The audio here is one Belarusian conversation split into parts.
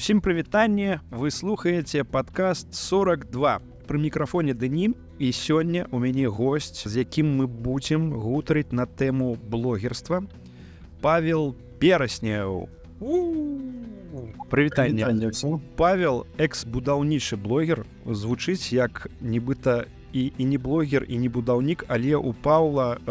Усім прывітанне, вы слухаеце падкаст 42. Пры мікрафоне Дэні, і сёння у мяне госць, з якім мы будзем гутарыць на тэму блогерства. Павел Перасняў. Прывітанне. Павел, экс-будаўнічы блогер, звучыць як нібыта і не блогер, і не будаўнік, але у Паўла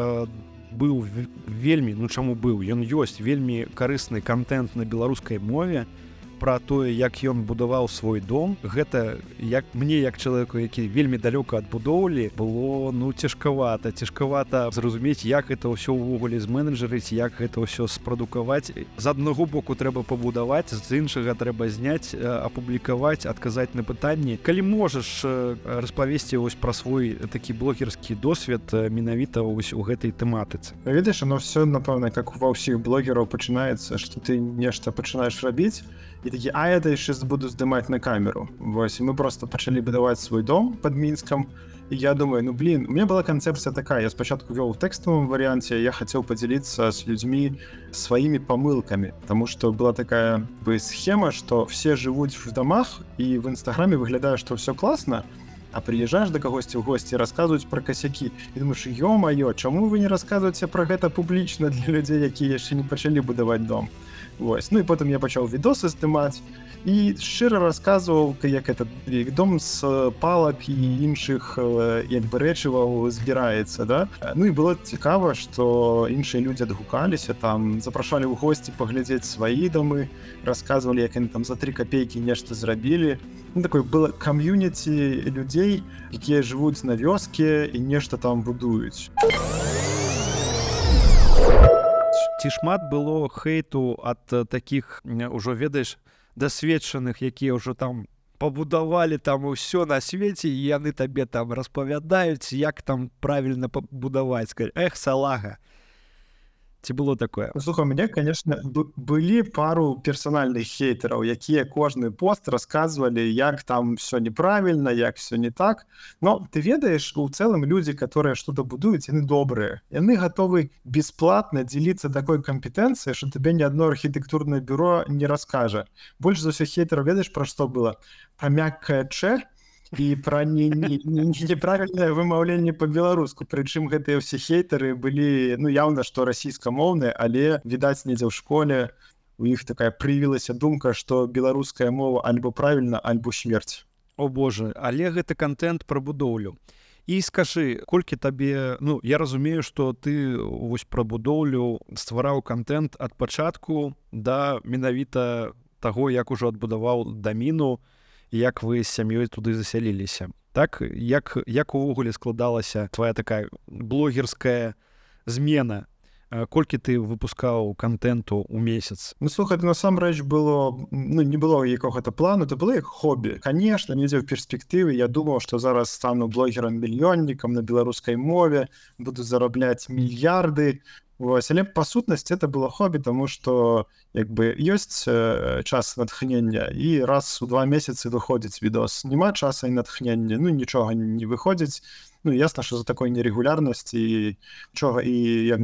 быў вельмі, чаму быў, ён ёсць вельмі карысны контент на беларускай мове пра тое, як ён будаваў свой дом. Гэта як мне, як чалавеку, які вельмі далёка ад будоўлі, было цяжкавата зразумець, як гэта ўсё ўвогуле зменеджарыць, як гэта ўсё спрадукаваць. З аднаго боку трэба пабудаваць, з іншага трэба зняць, апублікаваць, адказаць на пытанні. Калі можаш распавесці пра свой такі блогерскі досвед менавіта у гэтай тэматыцы. Ведаеш, оно все, напэўна, как ва ўсіх блогераў пачынаецца, што ты нешта пачынаеш рабіць, і такі, это яшчэ буду здымаць на камеру. Вось, і мы просто пачалі будаваць свой дом пад Мінскам, і я думаю, у меня была канцэпцыя такая, я спачатку вёў у тэкставым варыянце, я хацеў падзяліцца з людзьмі сваімі памылкамі, таму што была такая схема, што все жывуць в домах, і в Інстаграме выглядае, што ўсё класна, а прыязджаеш да кагосьці ў госці, расказваюць пра касякі. І думаеш, ё-маё, чаму вы не расказваеце пра гэта публічна для людзей, якія яшчэ не пачалі будаваць дом? Вось. І потым я пачаў відосы здымаць і шчыра расказваў, як этот дом з палак і іншых рэчываў збіраецца, да? І было цікава, што іншыя людзі адгукаліся, там запрашалі ў госці паглядзець свае домы, расказвалі, як яны там за 3 копейкі нешта зрабілі. Такое было кам'юніці людзей, якія жывуць на вёске і нешта там будуюць. Ці шмат было хейту ад такіх, ужо ведаеш, дасведчаных, якія ўжо там пабудавалі там усё на свеце, і яны табе там распавядаюць, як там правільна пабудаваць. Эх, салага. Ці было такое? Слухай, у мяне, конечно, былі пару персанальных хейтераў, якія кожны пост расказвалі, як там все неправільна, як все не так. Но ты ведаеш, у цэлым людзі, которые что-то будуюць, яны добрыя. Яны гатовы бесплатна дзеліцца такой компетэнцыяй, што табе ні адно архітэктурнае бюро не раскажа. Больш за ўсё хейтераў, ведаеш, пра што было? Пра мяккае чэ і пра неправільнае вымаўленне па-беларуску. Прычым гэтыя ўсе хейтары былі, яўна, што расійскамоўныя, але, відаць, недзе ў школе у іх такая прывілася думка, што беларуская мова альбо правільна, альбо смерць. О боже, але гэта контент пра будоўлю. І скажы, колькі табе, я разумею, што ты пра будоўлю ствараў контент ад пачатку да менавіта таго, як ужо адбудаваў даміну, як вы з сям'ёй туды засяліліся. Так, як увогуле складалася твая такая блогерская змена? Колькі ты выпускаў контенту ў месяц? Слухай, насамрэч было, не было якога-то плану, это было як хобі. Конечно, недзе ў перспектыве я думаў, што зараз стану блогерам-мільённікам на беларускай мове, буду зарабляць мільярды. Вось, але па сутнасці это было хобі, таму што ёсць час натхнення, і раз у 2 месяцы выходзіць відос. Няма часа і натхнення, нічога не выходзіць. Ясна, што за такой нерэгулярнасці нічога і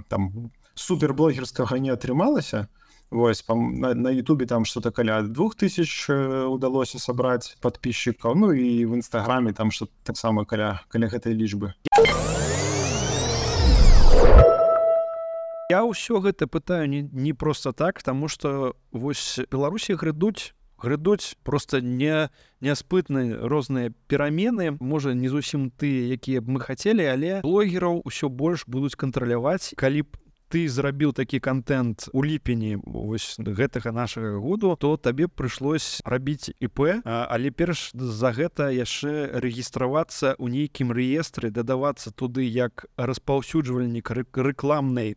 там суперблогерскага не атрымалася. Вось, на Ютубе там што-то каля 2000 удалося сабраць падпісчыкаў, і в Інстаграме там што таксама каля гэтай лічбы. Я ўсё гэта пытаю не проста так, таму што вось Беларусі грядуць проста няспытныя розныя перамены, можа, не зусім тыя, якія б мы хацелі, але блогераў усё больш будуць кантраляваць. Калі б ты зрабіў такі контент у ліпені гэтага нашага году, то табе прыйшлось рабіць ІП, але перш за гэта яшчэ рэгістравацца ў нейкім рэестры, дадавацца туды як распаўсюджвальнік рэкламнай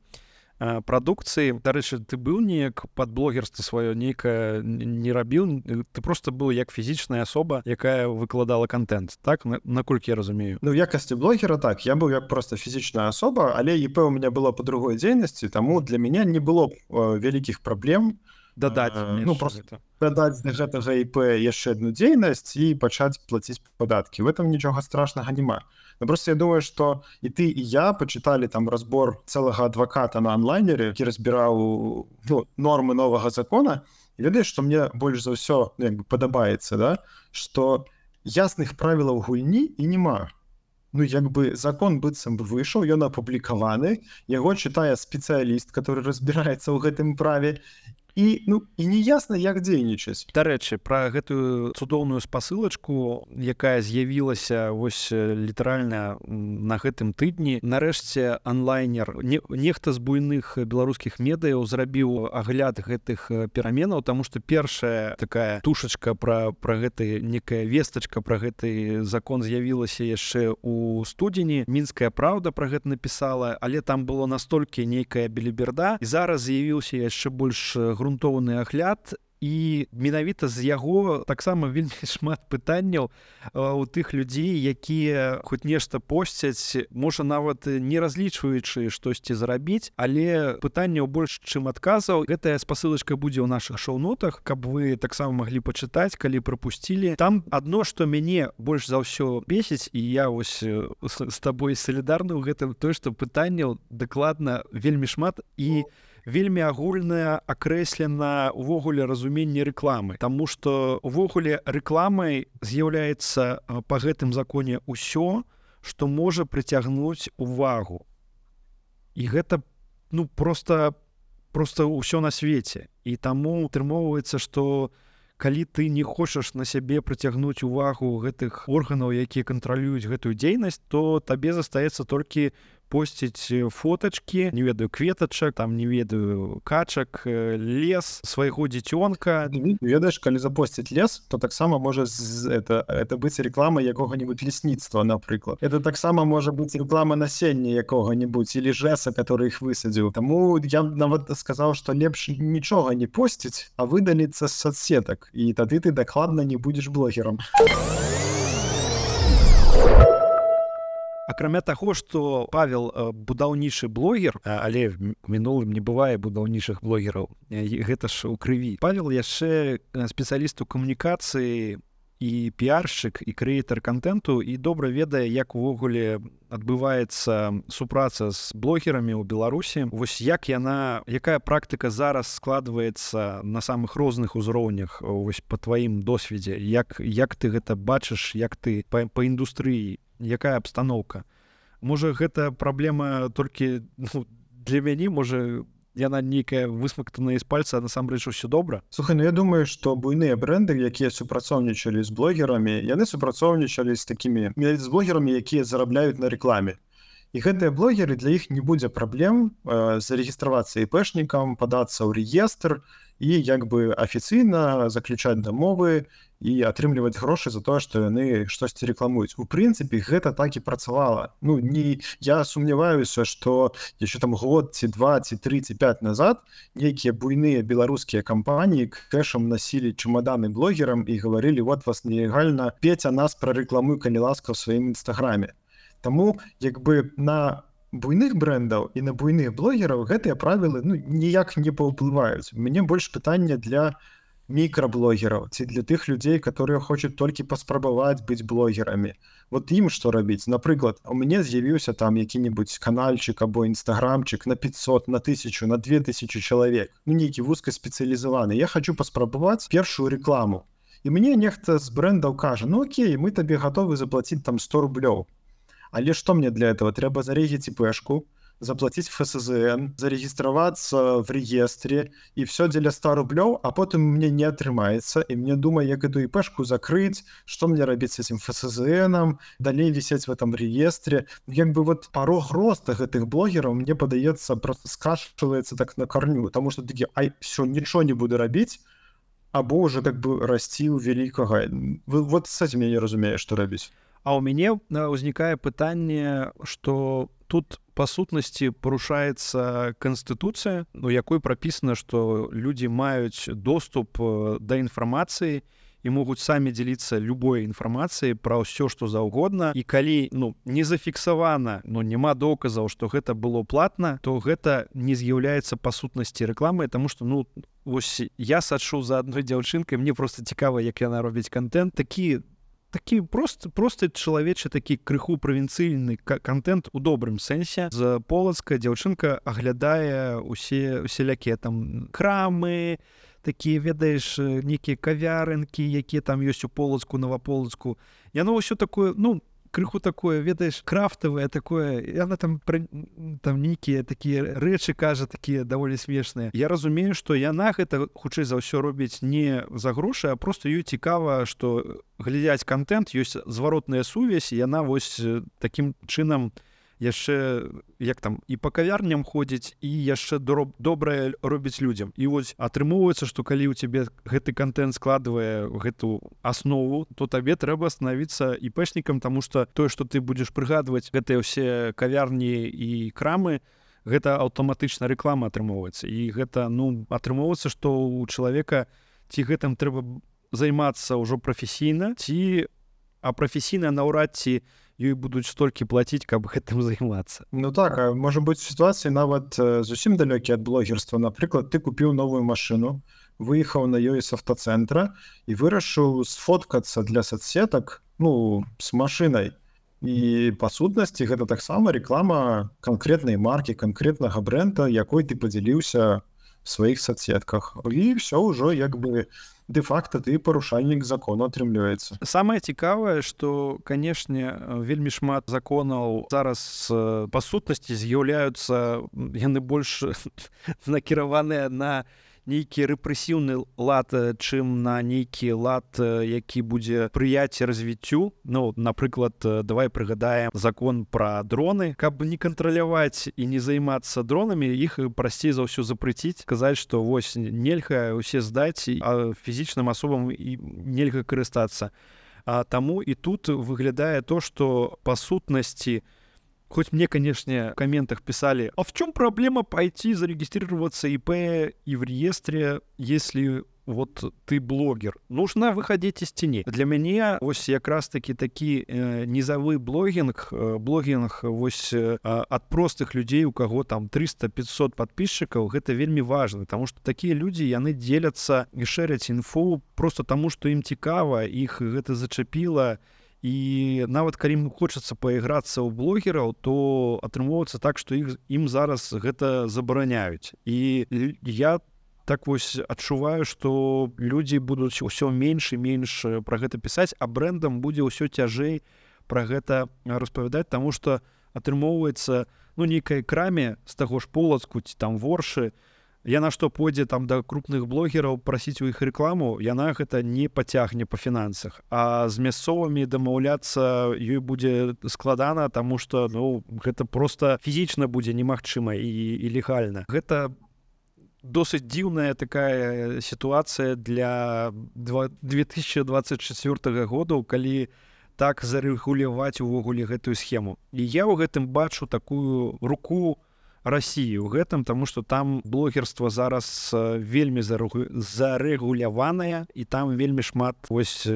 прадукцыі. Дарэчы, ты быў неяк пад блогерства сваё нейкае не рабіў, ты просто быў як фізічная асоба, якая выкладала контент, так? Наколькі я разумею? В якасці блогера так, я быў як просто фізічная асоба, але ІП у мяне было па другой дзейнасці, таму для мяне не было вялікіх праблем дадаць да гэтага ІП яшчэ адну дзейнасць і пачаць плаціць падаткі. В этом нічога страшнага няма. Просто я думаю, што і ты, і я пачыталі там разбор цэлага адваката на онлайнере, які разбіраў нормы новага закона, І ведаеш, што мне больш за ўсё падабаецца, да? Што ясных правілаў гульні і няма. Ну, закон быццам бы выйшаў, ён апублікаваны, яго чытае спецыяліст, который разбіраецца ў гэтым праве, і не ясна, як дзейнічаць. Дарэчы, пра гэтую цудоўную спасылачку, якая з'явілася вось літаральна на гэтым тыдні, нарэшце онлайнер, нехта з буйных беларускіх медыяў зрабіў агляд гэтых пераменаў, таму што першая такая тушачка пра гэты, некая вестачка пра гэты закон з'явілася яшчэ ў студзені. Мінская праўда пра гэта напісала, але там было настолькі нейкая беліберда, і зараз з'явіўся яшчэ больш грунтоўны агляд, і менавіта з яго таксама вельмі шмат пытанняў у тых людзей, якія хоць нешта посцяць, можа нават не разлічваючы штосьці зарабіць, але пытанняў больш, чым адказаў. Гэтая спасылачка будзе ў нашых шоу-нотах, каб вы таксама маглі пачытаць, калі прапусцілі. Там адно, што мяне больш за ўсё бесіць, і я вось з табой салідарны ў гэтым, тое, што пытанняў дакладна вельмі шмат, і вельмі агульная акрэслена ўвогуле разуменне рэкламы, таму што ўвогуле рэкламай з'яўляецца па гэтым законе ўсё, што можа прыцягнуць увагу. І гэта просто ўсё на свеце. І таму атрымоўваецца, што калі ты не хочаш на сябе прыцягнуць увагу гэтых органаў, якія кантралююць гэтую дзейнасць, то табе застаецца толькі посціць фотачкі, не ведаю, кветачак, там, не ведаю, качак, лес, свайго дзіцёнка. Ведаеш, калі запосціць лес, то таксама можа это быць реклама якога-нибудь лесніцтва, напрыклад. Это таксама можа быць реклама насення якога-нибудь или жэса, который іх высадзіў. Таму я нават сказаў, што лепш нічога не посціць, а выдаліцца з соцсетак, і тады ты дакладна не будзеш блогерам. Акрамя таго, што Павел будаўнічы блогер, але в мінулым не бывае будаўнічых блогераў, гэта ж у крыві. Павел яшчэ спецыяліст у камунікацыі і піаршчык, і крэатар контенту, і добра ведае, як увогуле адбываецца супраца з блогерамі ў Беларусі. Вось якая практыка зараз складваецца на самых розных узроўнях вось па тваім досведзе? Як ты гэта бачыш, як ты па індустрыі? Якая абстаноўка? Можа, гэта праблема толькі для мяне, можа, яна нейкая высмактаная з пальца, а насамрэч усё добра? Слухай, я думаю, што буйныя бренды, якія супрацоўнічалі з блогерамі, яны супрацоўнічалі з блогерамі, якія зарабляюць на рэкламе. І гэтыя блогеры, для іх не будзе праблем зарэгістравацца іпэшнікам, падацца ў рэестр і афіцыйна заключаць дамовы і атрымліваць грошы за тое, што яны штосьці рэкламуюць. У прынцыпе, гэта так і працавала. Я сумняваюся, што яшчэ там год, ці 2, ці 3, ці 5 назад нейкія буйныя беларускія кампаніі кэшам насілі чемаданы блогерам і гаварылі: вот вас нелегальна, Петя, нас прарэкламуй, калі ласка, ў сваім інстаграме. Таму на буйных брэндаў і на буйных блогераў гэтыя правілы ніяк не паўплываюць. У мяне больш пытання для мікраблогераў ці для тых людзей, которые хочуць толькі паспрабаваць быць блогерамі. Вот ім што рабіць? Напрыклад, у мяне з'явіўся там які-нибудь канальчык або інстаграмчык на 500, на 1000, на 2000 чалавек, нейкі вузкаспецыялізаваны. Я хочу паспрабаваць першую рэкламу. І мне нехта з брэндаў кажа: окей, мы табе гатовы заплаціць там 100 рублёў. Але што мне для этого? Трэба зарегіць іпэшку, заплатить ФСЗН, зарегістравацца в реестре, і все дзеля 100 рублёў, а потым мне не атрымаецца, і мне думаю, як эту іпэшку закрыць, што мне рабіць с этим ФСЗНам, далей висеть в этом реестре. Порог роста гэтых блогераў, мне падаецца, просто скашивается так на корню, потому что такі: все, нічого не буду рабіць, або уже расці ў вялікага. Вот с этим я не разумею, што рабіць. А ў мяне ўзнікае пытанне, што тут па сутнасці парушаецца канстытуцыя, у якой прапісана, што людзі маюць доступ да інфармацыі і могуць самі дзеліцца любой інфармацыяй пра ўсё, што заўгодна. І калі не зафіксавана, няма доказаў, што гэта было платна, то гэта не з'яўляецца па сутнасці рэкламай, таму што вось я сачу за адной дзяўчынкай, мне проста цікава, як яна робіць контент. Такі такі просто чалавечы такі крыху правінцыйны контент у добрым сэнсе. З Полацка дзяўчынка аглядае усялякія там крамы, такія, ведаеш, нейкія кавярынкі, якія там ёсць у Полацку, Новаполацку. Яно ўсё такое, крыху такое, ведаеш, крафтавае такое, і яна там нейкія такія рэчы кажа, такія даволі смешныя. Я разумею, што яна гэта хутчэй за ўсё робіць не за грошы, а просто ёй цікава, што глядзяць контент, ёсць зваротная сувязь, і яна вось такім чынам яшчэ, як там, і па кавярням ходзіць, і яшчэ добрае робіць людзям. І вось атрымоўваецца, што калі ў цябе гэты контент складвае гэту аснову, то табе трэба станавіцца іпэшнікам, таму што тое, што ты будзеш прыгадваць гэтыя ўсе кавярні і крамы, гэта аўтаматычна рэклама атрымоўваецца. І гэта, атрымоўваецца, што ў чалавека ці гэтым трэба займацца ўжо прафесійна, а прафесійна наўрад ці ёй будуць столькі плаціць, каб гэтым займацца. Так, а можа быць сітуацыі нават зусім далёкія ад блогерства. Напрыклад, ты купіў новую машыну, выехаў на ёй з аўтацэнтра і вырашыў сфоткацца для соцсетак, з машынай. І па сутнасці гэта таксама рэклама канкрэтнай маркі, канкрэтнага брэнда, якой ты падзяліўся в сваіх соцсетках. І ўсё ўжо як бы де-факта ты парушальнік закону атрымліваецца. Самае цікавае, што, канешне, вельмі шмат законаў зараз па сутнасці з'яўляюцца, яны больш накіраваныя на нейкі рэпрэсіўны лад, чым на нейкі лад, які будзе спрыяць развіццю. Напрыклад, давай прыгадаем закон пра дроны. Каб не кантраляваць і не займацца дронамі, іх прасцей за ўсё запрэціць, сказаць, што вось нельга ўсе здаць, а фізічным асобам нельга карыстацца. Таму і тут выглядае то, што па сутнасці, хоть мне, конечно, в комментах писали, а в чем проблема пойти зарегистрироваться ИП и в реестре, если вот ты блогер? Нужно выходить из тени. Для меня вось якраз таки такі низовы блогинг вось от простых людей, у кого там 300-500 подписчиков, гэта вельмі важно, потому что такие люди, яны делятся и шерят инфу просто тому, что им цікава, их гэта зачапило. І нават калі ім хочацца паіграцца ў блогераў, то атрымоўваецца так, што ім зараз гэта забараняюць. І я так вось адчуваю, што людзі будуць усё менш і менш пра гэта пісаць, а брэндам будзе ўсё цяжэй пра гэта распавядаць, таму што атрымоўваецца нейкай краме з таго ж Полацку ці там Воршы, яна што пойдзе там да крупных блогераў прасіць у іх рэкламу, яна гэта не пацягне па фінансах. А з мясцовымі дамаўляцца ёй будзе складана, таму што гэта проста фізічна будзе немагчыма і легальна. Гэта досыць дзіўная такая сітуацыя для 2024 году, калі так зарэгуляваць увогуле гэтую схему. І я ў гэтым бачу такую руку России ў гэтым, таму што там блогерства зараз вельмі зарэгуляванае, і там вельмі шмат вось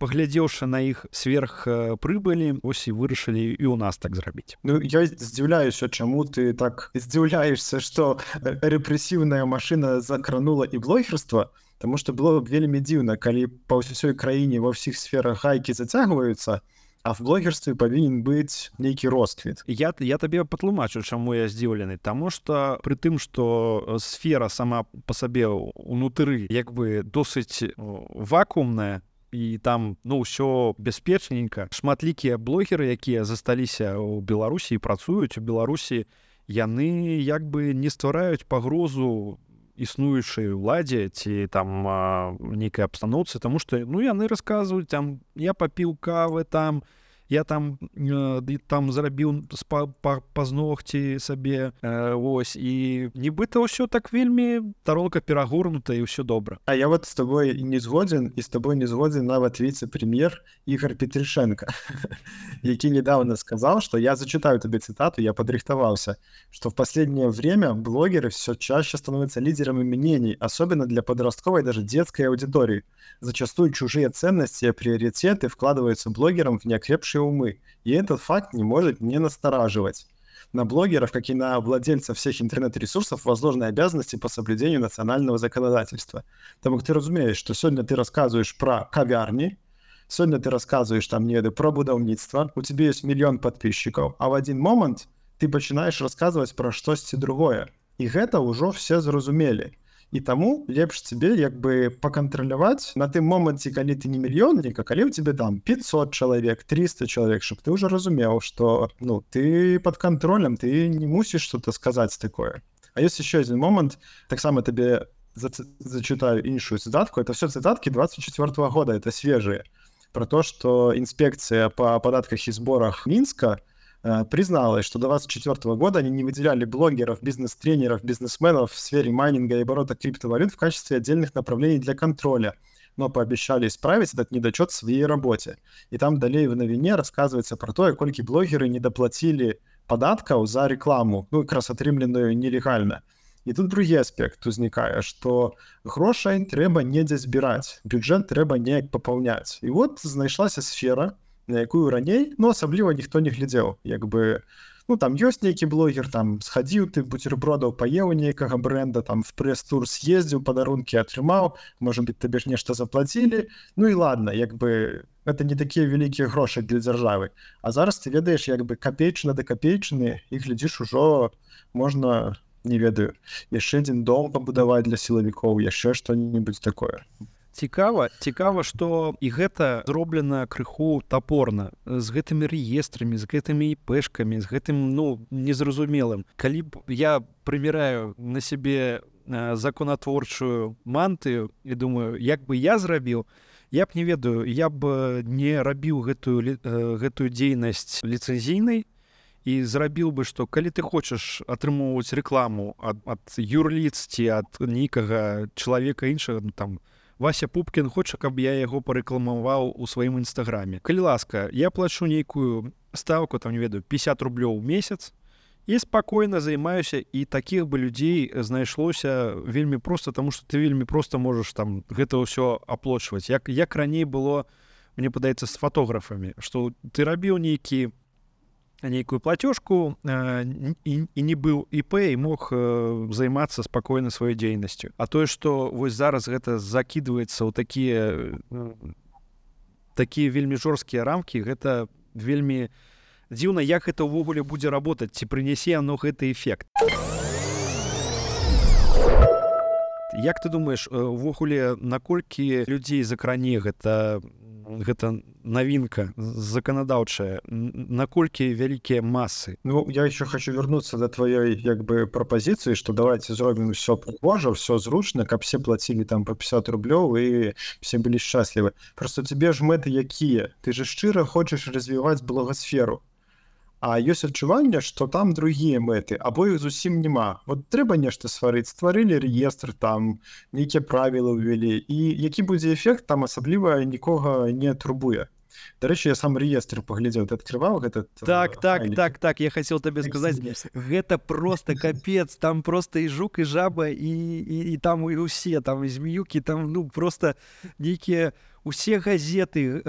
паглядзеўшы на іх сверхпрыбылі, вось і вырашылі і ў нас так зрабіць. Я здзіўляюся, чаму ты так здзіўляешся, што рэпрэсіўная машына закранула і блогерства, таму што было б вельмі дзіўна, калі па ўсёй краіне ва ўсіх сферах гайкі зацягваюцца, а в блогерстве павінен быць нейкі росквіт. Я табе патлумачу, чаму я здзіўлены. Таму што пры тым, што сфера сама па сабе ўнутры як бы досыць вакуумная, і там ўсё бяспечненька, шматлікія блогеры, якія засталіся ў Беларусі і працуюць у Беларусі, яны як бы не ствараюць пагрозу існуючай уладзе ці там нейкай абстаноўцы, таму што яны расказваюць, там я папіў кавы, там я там зарабіў пазногці сабе, вось, і нібыта ўсё так вельмі таролка перагорнута і ўсё добра. А я вот з тобой не згодзін, і з тобой не згодзін нават віцэ-прэм'ер Ігор Петрышенко, які недавно сказал, что я зачитаю тебе цитату, я подрихтовался, что в последнее время блогеры все чаще становятся лидерами мнений, особенно для подростковой, даже детской аудитории. Зачастую чужие ценности и приоритеты вкладываются блогерам в неокрепшие умы, и этот факт не может не настораживать. На блогеров, как и на владельцев всех интернет-ресурсов, возложены обязанности по соблюдению национального законодательства. Тому ты разумеешь, что сегодня ты рассказываешь про кавярни, Сёння ты рассказываешь там, не ведаю, про будаўніцтва, у тебе есть мільён подписчиков, а в один момент ты пачынаеш расказваць пра штосьці другое. І гэта ўжо все зразумелі. І таму лепш тебе як бы пакантраляваць на тым моманце, калі ты не мільённік, а калі ў тебе там 500 чалавек, 300 чалавек, щоб ты ўжо разумеў, што ну ты под контролем, ты не мусіш что-то сказаць такое. А есть еще один момент, таксама табе зачитаю іншую цитатку. Это все цитатки 24 года, это свежие. Про то, что инспекция по податках и сборах Минска призналась, что до 2024 года они не выделяли блогеров, бизнес-тренеров, бизнесменов в сфере майнинга и оборота криптовалют в качестве отдельных направлений для контроля, но пообещали исправить этот недочет в своей работе. И там далее в новине рассказывается про то, колькі блогеры не доплатили податкаў за рекламу, ну, якраз атрымленую нелегальна. І тут другі аспект узнікае, што грошай трэба недзе збіраць, бюджэт трэба неяк папаўняць. І вот знайшлася сфера, на якую раней, ну, асабліва ніхто не глядзеў. Як бы, ну, там ёсць нейкі блогер, там схадзіў ты бутербродаў, паеў нейкага бренда, там в прэс-тур съездзіў, падарункі атрымаў, можа быць, табе ж нешта заплацілі. Ну і ладно, як бы это не такія вялікія грошы для дзяржавы. А зараз ты ведаеш, як бы капейчына да капейчыны, і глядзіш, ужо можна, не ведаю, яшчэ адзін дом пабудаваць для сілавікоў, яшчэ што-небудзь такое. Цікава, што і гэта зроблена крыху тапорна, з гэтымі рэестрамі, з гэтымі іпэшкамі, з гэтым, ну, незразумелым. Калі б я прыміраю на сябе законатворчую мантыю і думаю, як бы я зрабіў, я б не ведаю, я б не рабіў гэтую дзейнасць ліцэнзійнай і зрабіў бы, што калі ты хочаш атрымоўваць рэкламу ад юрліц ці ад нейкага чалавека іншага, там, Вася Пупкін хоча, каб я яго парэкламаваў у сваім інстаграме. Калі ласка, я плачу нейкую стаўку, там, не ведаю, 50 рублёў у месяц, і спакойна займаюся, і такіх бы людзей знайшлося вельмі проста, таму што ты вельмі проста можаш там гэта ўсё аплочваць. Як раней было, мне падаецца, з фатографамі, што ты рабіў нейкую платёжку і не быў ІП і мог займацца спакойна сваёй дзейнасцю. А тое, што вось зараз гэта закідваецца ў такія вельмі жорсткія рамкі, гэта вельмі дзіўна, як гэта ўвогуле будзе работаць, ці прынясе оно гэты эфект. Як ты думаеш, увогуле, наколькі людзей закране гэта навінка заканадаўчая, наколькі вялікія масы? Ну, я еще хочу вернуться до твоей, як бы, пропозиции, что давайте зробим все пригожа, все зручно, каб все платили там по 50 рублёў и все были счастливы. Просто тебе ж мэты якія? Ты же шчыра хочешь развивать блогосферу. А ёсць адчуванне, што там другія мэты, або іх зусім няма. Вот трэба нешта стварыць, стварылі рэестр, там нейкія правілы ўвялі, і які будзе эфект, там асабліва нікога не турбуе. Дарэчы, я сам рэестр паглядзеў, ты адкрываў гэтат Так, я хацеў табе сказаць, гэта просто капец, там просто і жук, і жаба, і там і ўсе, там і змеюкі, там, ну, просто нейкія усе газеты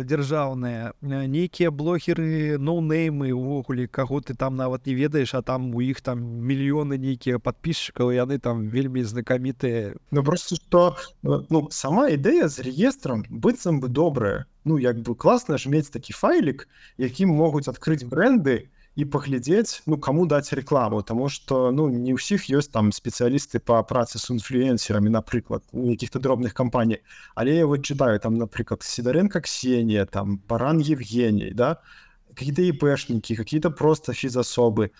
дзяржаўныя, нейкія блогеры, ноунеймы, увогуле, каго ты там нават не ведаеш, а там у іх там мільёны нейкія падпісчыкаў, і яны там вельмі знакамітыя. Ну, просто што, ну, сама ідэя з рэестрам быццам бы добрая. Ну, як бы класна ж мець такі файлік, якім могуць адкрыць бренды і паглядзець, ну, каму даць рекламу, таму што, ну, не ўсіх ёсць там спецыялісты па працы з інфлюэнсерамі, напрыклад, у якіх-то дробных кампаній. Але я вот читаю, там, напрыклад, Сидоренко Ксения, там, Баран Евгений, да, какие-то ИПшники, какие-то просто физособы.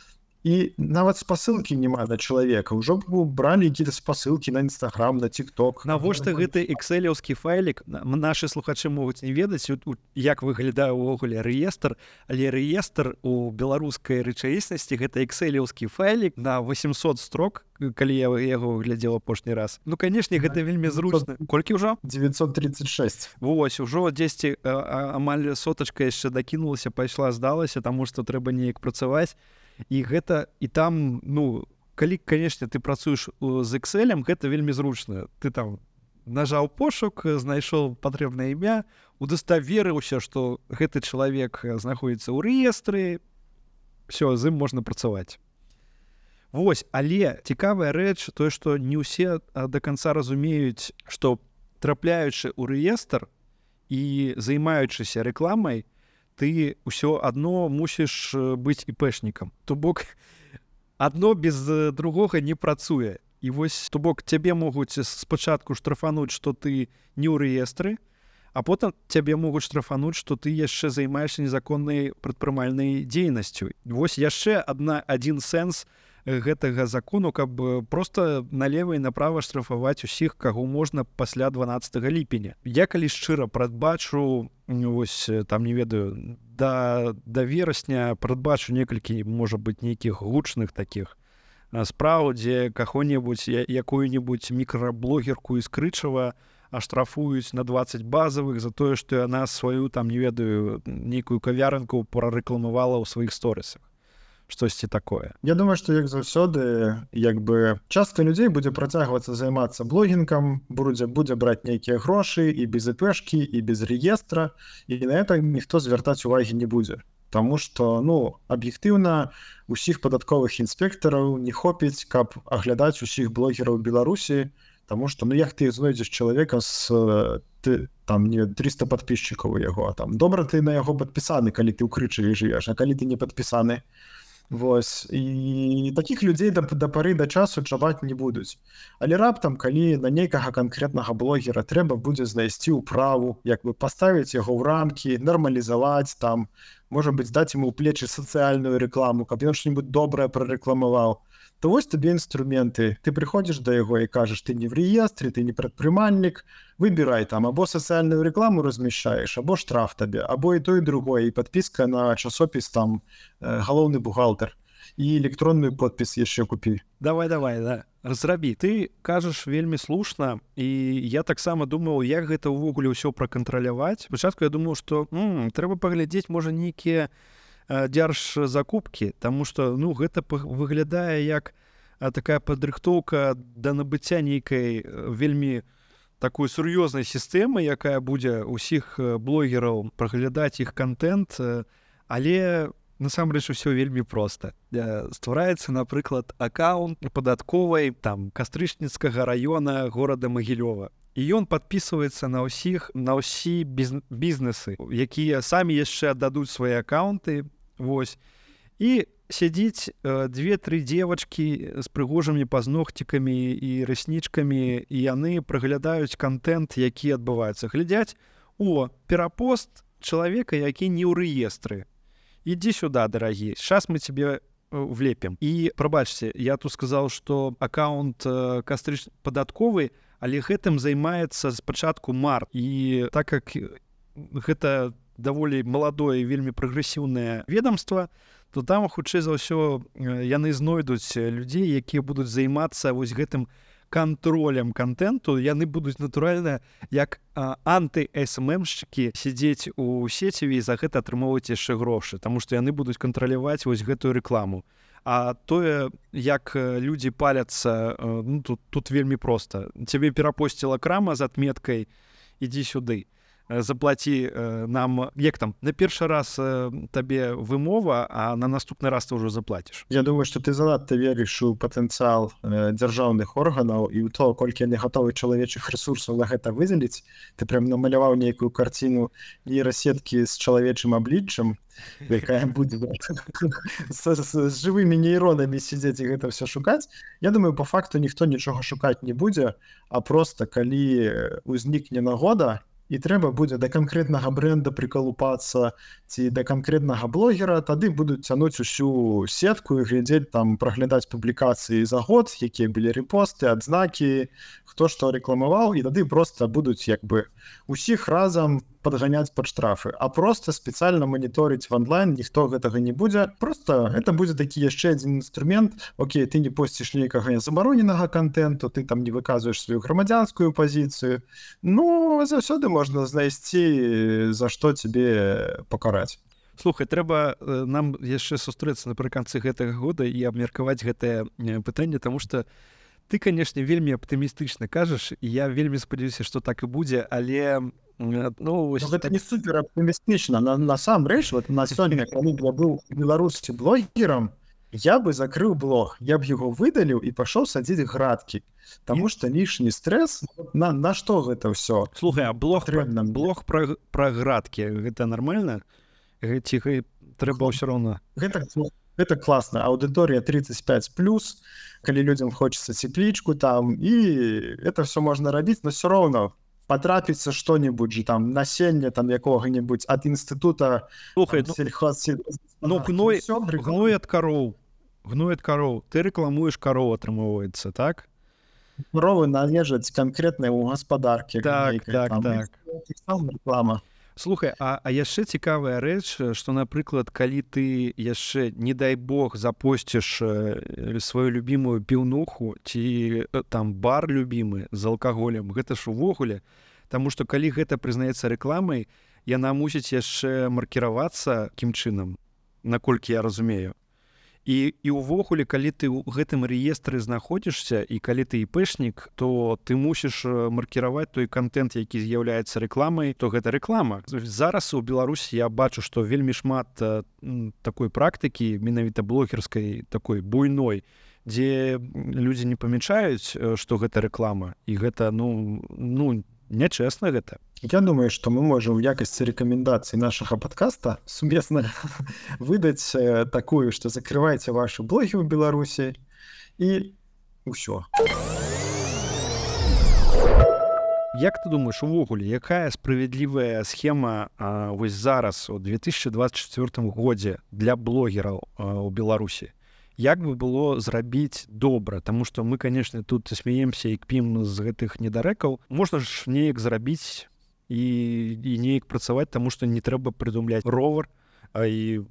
І нават спасылкі няма на чалавека. Ужо б бралі якія-то спасылкі на Інстаграм, на TikTok. Навошта гэты экселеўскі файлік? Нашы слухачы могуць не ведаць, як выглядае ўвогуле рэестр, але рэестр у беларускай рэчаіснасці гэта экселеўскі файлік на 800 строк, калі я яго глядзеў апошні раз. Ну, канешне, гэта вельмі зручна. Колькі ўжо? 936. Вось, ужо дзесьці амаль сотачка яшчэ дакінулася, пайшла, здалася, таму што трэба неяк працаваць. І гэта, і там, ну, калі, канешне, ты працуеш з Excel-ем, гэта вельмі зручна. Ты там нажаў пошук, знайшоў патрэбнае імя, удаставерыўся, што гэты чалавек знаходзіцца ў рэестры, все, з ім можна працаваць. Вось, але цікавая рэч, тое, што не ўсе да канца разумеюць, што трапляючы ў рэестр, і займаючыся рэкламай, ты ўсё адно мусіш быць іпэшнікам. То бок адно без другога не працуе. І вось, то бок, цябе могуць спачатку штрафануць, што ты не ў рэестры, а потым цябе могуць штрафануць, што ты яшчэ займаешся незаконнай прадпрымальнай дзейнасцю. Вось яшчэ адзін сэнс гэтага закону, каб проста налева і направа штрафаваць усіх, каго можна пасля 12 ліпеня. Я калі шчыра прадбачу, вось там не ведаю, да верасня прадбачу некалькі, можа быць, нейкіх гучных такіх спраў, дзе каго-небудзь, якую-небудзь мікраблогерку з Крычава аштрафуюць на 20 базавых за тое, што яна сваю, там, не ведаю, нейкую кавярынку прарэкламавала ў сваіх сторысах. Штосьці такое. Я думаю, што як заўсёды, як бы частка людзей будзе працягвацца займацца блогінгам, будзе браць нейкія грошы і без ІПшкі, і без рэестра, і на это ніхто звяртаць увагі не будзе. Таму што, аб'ектыўна, усіх падатковых інспектараў не хопіць, каб аглядаць усіх блогераў Беларусі, таму што, як ты знойдзеш чалавека з там 300 падпісчыкаў у яго, там добра ты на яго падпісаны, калі ты ў Крычаве жывеш, а калі ты не падпісаны. Вось, і такіх людзей да пары да часу чапаць не будуць. Але раптам, калі на нейкага канкрэтнага блогера трэба будзе знайсці ўправу, як бы паставіць яго ў рамкі, нармалізаваць там, можа быць, даць ему ў плечы сацыяльную рэкламу, каб ён што-нибудь добрае прарэкламаваў, то вось табе інструменты. Ты прыходзіш да яго і кажаш, ты не в рэестры, ты не прадпрымальнік, выбірай там, або сацыяльную рэкламу размяшчаеш, або штраф табе, або і то, і другое, і падпіска на часопіс там галоўны бухгалтар, і электронную подпіс яшчэ купі. Давай, да, разрабі. Ты кажаш вельмі слушна, і я таксама думаў, як гэта ўвогуле ўсё пракантраляваць. Спачатку я думаў, што трэба паглядзець, можа, нейкія дзяржзакупкі, таму што гэта выглядае як такая падрыхтоўка да набыцця нейкай вельмі такой сур'ёзнай сістэмы, якая будзе ўсіх блогераў праглядаць іх контент, але насамрэч усё вельмі проста. Ствараецца, напрыклад, аккаунт падатковай там Кастрычніцкага раёна горада Магілёва. І ён падпісваецца на ўсе бізнесы, якія самі яшчэ аддадуць свае аккаунты. Вось. І сядзіць 2-3 дзевачкі з прыгожымі пазногцікамі і рэснічкамі, і яны праглядаюць контент, які адбываецца. Глядзяць, перапост чалавека, які не ў рэестры. Ідзі сюда, дарагі, сейчас мы тебе влепім. І, прабачце, я тут сказаў, што аккаунт падатковы, але гэтым займаецца спачатку март. І так як гэта даволі маладое, вельмі прагрэсіўнае ведомства, то там, хутчэй за ўсё, яны знойдуць людзей, якія будуць займацца вось гэтым кантролем контенту. Яны будуць, натуральна, як анты-СММшчыкі сядзець у сеціве і за гэта атрымоўваць яшчэ грошы, таму што яны будуць кантраляваць вось гэтую рэкламу. А тое, як людзі паляцца, тут вельмі проста. Цябе перапосціла крама з адметкай «Ідзі сюды». Заплаці нам, як там, на першы раз табе вымова, а на наступны раз ты ўжо заплаціш. Я думаю, што ты занадта верыш у патэнцыял дзяржаўных органаў і ў то, колькі яны гатовы чалавечых ресурсаў на гэта выдзеліць. Ты прям намаляваў нейкую карціну нейрасеткі з чалавечым абліччам, якая будзе з жывымі нейронамі сядзець і гэта ўсё шукаць. Я думаю, па факту ніхто нічога шукаць не будзе, а проста калі ўзнікне нагода, і трэба будзе да канкрэтнага брэнда прыкалупацца ці да канкрэтнага блогера, тады будуць цянуць усю сетку і глядзець там, праглядаць публікацыі за год, якія былі рэпосты, адзнакі, хто што рэкламаваў, і тады проста будуць як бы усіх разам падганяць пад штрафы, а проста спецыяльна маніторыць в онлайн ніхто гэтага не будзе. Проста гэта будзе такі яшчэ адзін інструмент. Окей, ты не посціш нейкага забароненага контенту, ты там не выказваеш сваю грамадзянскую пазіцыю. Заўсёды можна знайсці, за што цябе пакараць. Слухай, трэба нам яшчэ сустрэцца напрыканцы гэтага года і абмеркаваць гэтае пытанне, таму што ты, канешне, вельмі аптымістычна кажаш, і я вельмі спадзяюся, што так і будзе, але гэта не супер аптымістычна. Насамрэч, на сёння, калі я быў беларусці блогерам, Я бы закрыў блог, я б яго выдаліў і пашоў садзіць градкі, Таму што лішні стрэс на што гэта ўсё Слухай, а патрэбна мне. блог пра градкі гэта нармальна? Ці трэба ўсё роўна? Гэта класна. Аўдыторыя 35+, калі людзям хочацца цеплічку там, і это все можна рабіць, но все роўно патрапіцца што-небудзь же там насенне там якога-небудзь ад інстытута Слухай, гной ад кароў. Ты рэкламуеш кароў, атрымоўваецца, так? Коровы належаць канкрэтнаму гаспадаркі. Так. Рэклама. Слухай, а яшчэ цікавая рэч, што, напрыклад, калі ты яшчэ, не дай бог, запосціш сваю любімую піўнуху ці там бар любімы з алкаголем, гэта ж увогуле, таму што калі гэта прызнаецца рэкламай, яна мусіць яшчэ маркіравацца кім чынам, наколькі я разумею. І ўвогуле, калі ты ў гэтым рэестры знаходзішся і калі ты іпэшнік, то ты мусіш маркіраваць той контент, які з'яўляецца рэкламай, то гэта рэклама. Зараз у Беларусі я бачу, што вельмі шмат такой практыкі, менавіта блогерскай, такой буйной, дзе людзі не памячаюць, што гэта рэклама. І гэта, нячэсна гэта. Я думаю, што мы можам у якасці рэкамендацыі нашага падкаста сумесна выдаць такую, што закрывайце вашы блогі ў Беларусі і ўсё. Як ты думаеш, увогуле, якая справядлівая схема вось зараз у 2024 годзе для блогераў у Беларусі? Як бы было зрабіць добра, таму што мы, канешне, тут смеемся і кпім з гэтых недарэкаў. Можна ж неяк зрабіць і неяк працаваць, таму што не трэба прыдумляць ровар, і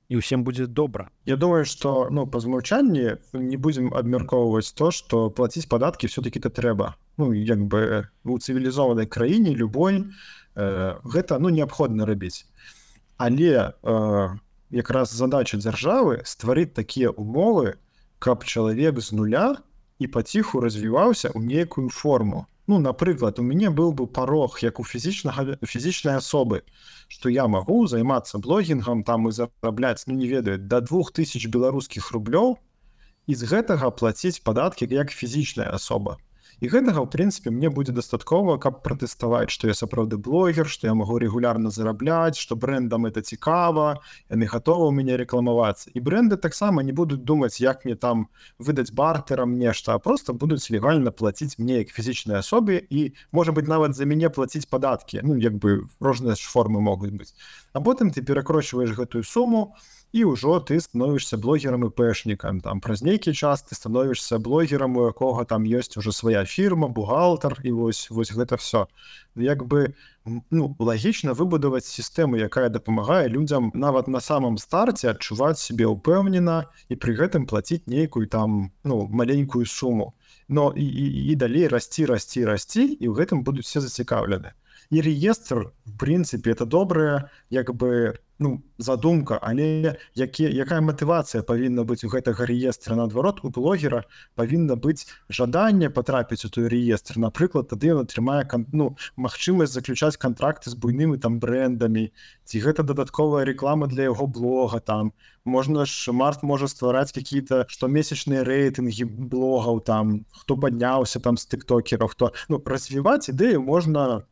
ўсім будзе добра. Я думаю, што па змаўчанні не будзем абмяркоўваць то, што плаціць падаткі все-таки-то трэба. Як бы у цывілізованай краіне любой гэта неабходна рабіць. Але якраз задача дзяржавы стварыць такія умовы, каб чалавек з нуля і паціху развіваўся ў нейкую форму. Напрыклад, у мяне быў бы парог, як у фізічнай асобы, што я магу займацца блогінгам там і зарабляць, не ведаю, да 2000 беларускіх рублёў і з гэтага плаціць падаткі як фізічная асоба. І гэтага, ў прынцыпе, мне будзе дастаткова, каб пратэставаць, што я сапраўды блогер, што я магу рэгулярна зарабляць, што брэндам это цікава, яны гатовы ў мяне рэкламавацца. І брэнды таксама не будуць думаць, як мне там выдаць бартэрам нешта, а проста будуць легальна плаціць мне як фізічнай асобе і, можа быць, нават за мяне плаціць падаткі. Як бы розныя ж формы могуць быць. А потым ты перакрочваеш гэтую суму, і ўжо ты становішся блогерам і пэшнікам. Там праз нейкі час ты становішся блогерам, у якога там ёсць ужо свая фірма, бухгалтар, і вось гэта все. Як бы лагічна выбудаваць сістэму, якая дапамагае людзям нават на самом старце адчуваць сябе ўпэўнена і пры гэтым плаціць нейкую там маленькую суму. І далей расці, і ў гэтым будуць все зацікаўлены. І рэестр, в прынцыпе, это добрая, як бы, задумка, але якая матывацыя павінна быць у гэтага рэестра? Наадварот, у блогера павінна быць жаданне патрапіць у той рэестр. Напрыклад, тады ён атрымае магчымасць заключаць кантракты з буйнымі там брэндамі, ці гэта дадатковая рэклама для яго блога там. Март можа ствараць какие-то штомесячныя рэйтынгі блогаў там, хто падняўся там з тыктокераў, хто... развіваць ідэю можна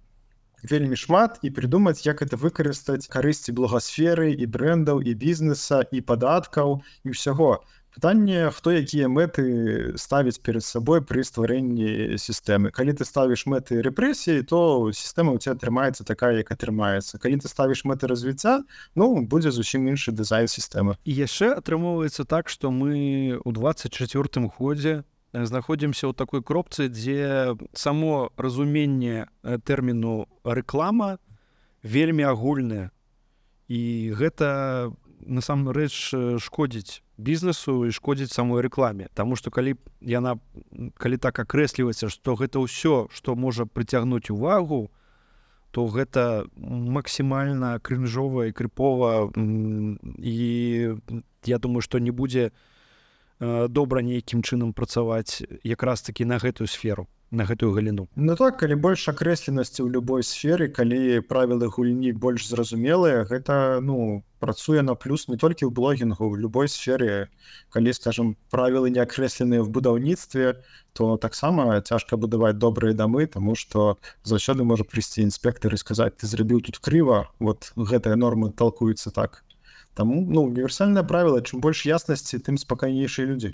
вельмі шмат і придумаць, як это выкарыстаць карысці блогасферы і брэндаў, і бізнеса, і падаткаў, і ўсяго. Пытанне, хто якія мэты ставіць перад сабой пры стварэнні сістэмы. Калі ты ставіш мэты рэпрэсіі, то сістэма ў цябе атрымаецца такая, як атрымаецца. Калі ты ставіш мэты развіцця, будзе зусім іншы дызайн сістэмы. І яшчэ атрымоўваецца так, што мы ў 24-м годзе знаходзімся ў такой кропцы, дзе само разуменне тэрміну рэклама вельмі агульнае. І гэта насамрэч шкодзіць бізнесу і шкодзіць самой рэкламе. Таму што калі так акрэсліваецца, што гэта ўсё, што можа прыцягнуць увагу, то гэта максімальна крынжова і крыпова. І я думаю, што не будзе добра нейкім чынам працаваць якраз такі на гэтую сферу. на гэтую галіну. Ну так, калі больш акрэсленасці ў любой сферы, калі правілы гульні больш зразумелыя, гэта працуе на плюс не толькі ў блогінгу, в любой сфере. Калі, скажем, правілы не акрэсленыя в будаўніцтве, то таксама цяжка будаваць добрыя дамы, таму што заўсёды можа прыйсці інспектар і сказаць: ты зрабіў тут крыва, вот гэтыя нормы толкуюцца так. Таму універсальнае правіла, чым больш яснасці, тым спакайнейшыя людзі.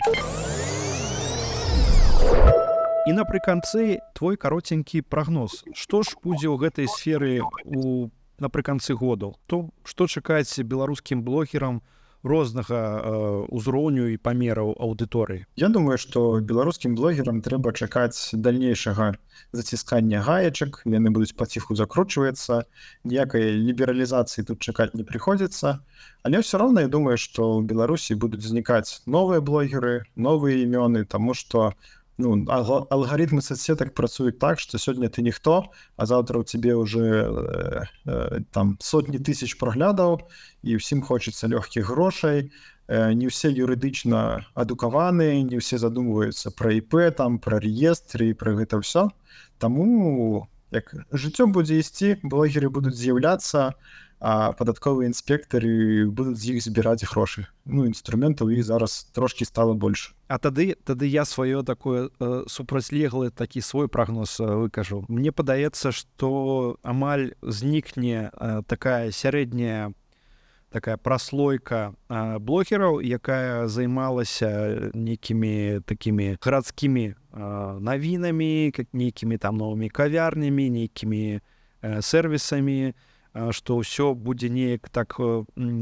І напрыканцы твой каротенькі прагноз. Што ж будзе ў гэтай сферы напрыканцы году? Што чакаць беларускім блогерам рознага ўзроўню і памераў аўдыторыі? Я думаю, што беларускім блогерам трэба чакаць дальнейшага заціскання гаечак, яны будуць паціху закручвацца, ніякай лібералізацыі тут чакаць не прыходзіцца. Але ўсё роўна я думаю, што ў Беларусі будуць знікаць новыя блогеры, новыя імёны, таму што алгарытмы соцсетак працуюць так, што сёння ты ніхто, а заўтра ў цябе ўжо сотні тысяч праглядаў, і ўсім хочацца лёгкіх грошай. Не ўсе юрыдычна адукаваныя, не ўсе задумваюцца пра ІП, пра рэестры і пра гэта ўсё. Таму як жыццё будзе ісці, блогеры будуць з'яўляцца, а падатковыя інспектары будуць з іх збіраць грошы. Інструментаў іх зараз трошкі стала больш. А тады я сваё такое супрацьлеглы такі свой прагноз выкажу. Мне падаецца, што амаль знікне такая сярэдняя такая праслойка блогераў, якая займалася нейкімі такімі гарадскімі навінамі, нейкімі там новымі кавярнямі, нейкімі сервісамі, што ўсё будзе неяк так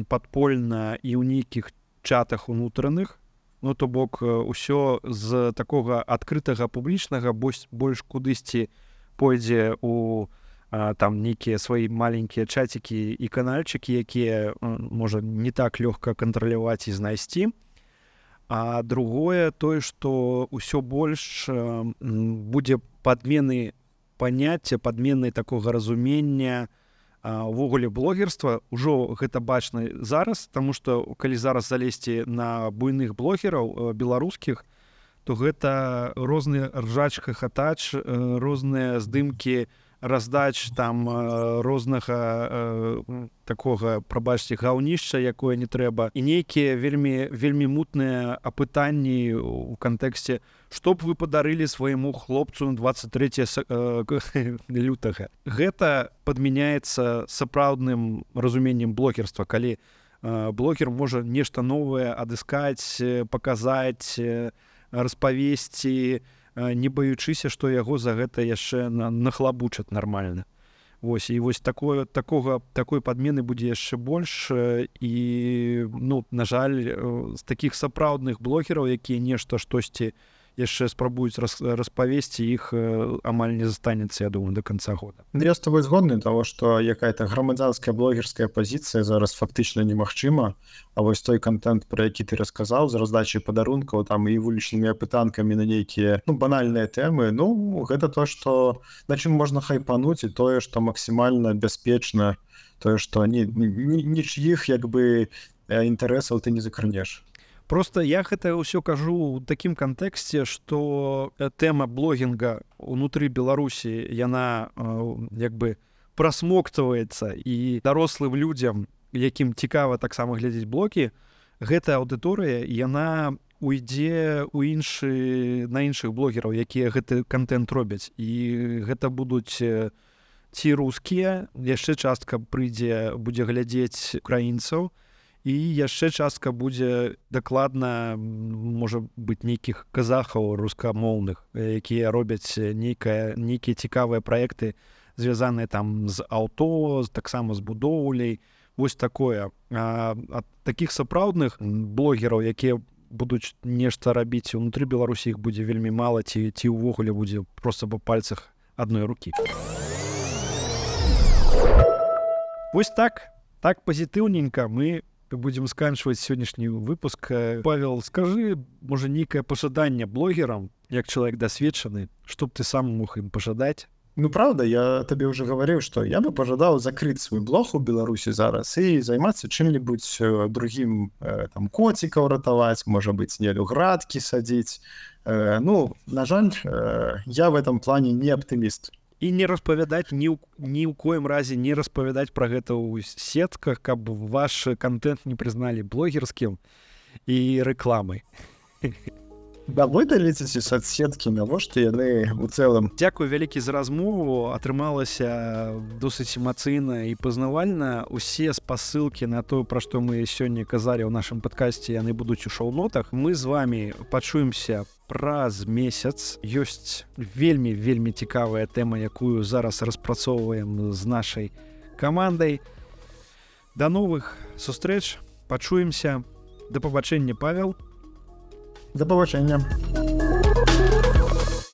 падпольна і ў нейкіх чатах унутраных. То бок усё з такога адкрытага публічнага больш кудысьці пойдзе у нейкія свае маленькія чацікі і канальчыкі, якія можа не так лёгка кантраляваць і знайсці. А другое тое, што ўсё больш будзе падмены паняцця, падмены такога разумення увогуле блогерства. Ужо гэта бачна зараз, таму што калі зараз залезці на буйных блогераў беларускіх, то гэта розныя ржач-хахатач, розныя здымкі раздач рознага такога, прабачце, гаўнішча, якое не трэба, і нейкія вельмі мутныя апытанні ў кантэксце: што б вы падарылі свайму хлопцу на 23 лютага. Гэта падмяняецца сапраўдным разуменнем блогерства, калі блогер можа нешта новае адыскаць, паказаць, распавесці, не баючыся, што яго за гэта яшчэ нахлабучаць нармальна. І такой падмены будзе яшчэ больш. І на жаль, з такіх сапраўдных блогераў, якія нешта штосьці яшчэ спрабуюць распавесці, іх амаль не застанецца, я думаю, до конца года. Я з тобой згодны, того, што якая-то грамадзянская блогерская пазіцыя зараз фактычна немагчыма, а вось той контент, про які ты расказаў, з раздачай падарункаў і вулічнымі апытанкамі на нейкія банальныя тэмы, гэта то, што на чым можна хайпануць, і тое, што максімальна бяспечна, тое, што нічых інтарэсаў ты не закранеш. Просто я гэта ўсё кажу ў такім кантэксце, што тэма блогінга ўнутры Беларусі, яна прасмоктваецца, і дарослым людзям, якім цікава таксама глядзець блогі, гэтая аўдыторыя, яна уйдзе на іншых блогераў, якія гэты контент робяць. І гэта будуць ці рускія, яшчэ частка будзе глядзець украінцаў, і яшчэ частка будзе дакладна, можа быць, нейкіх казахаў рускамоўных, якія робяць нейкія цікавыя праекты, звязаныя з аўто, таксама з будоўляй. Вось такое. Ад такіх сапраўдных блогераў, якія будуць нешта рабіць унутры Беларусі, іх будзе вельмі мала, ці ўвогуле будзе проста па пальцах адной рукі. Вось так пазітыўненька мы будзем сканчваць сённяшні выпуск. Павел, скажы, можа, нейкае пажаданне блогерам, як чалавек дасведчаны, што б ты сам мог ім пажадаць Ну, правда, я табе уже говорил, что я бы пожадал закрыть свой блог у Беларуси зараз и заниматься чем-нибудь другим, там, котиков ратовать, может быть, снелю градки садить. Ну, на жаль, я в этом плане не оптимист. І не распавядаць ні ў коім разе не распавядаць пра гэта ў сетках, каб ваш контент не прызналі блогерскім і рэкламай. Да выдаліце соцсеткі, навошта яны у цэлым. Дзякую вялікі за размову, атрымалася досыць эмацыйна і пазнавальна. Усе спасылкі на то, пра што мы сёння казалі ў нашым падкасці, яны будуць у шоу-нотах. Мы з вами пачуемся праз месяц. Ёсць вельмі цікавая тэма, якую зараз распрацоўваем з нашай камандай. Да новых сустрэч, пачуемся. Да пабачэння, Павел. Да пабачэння.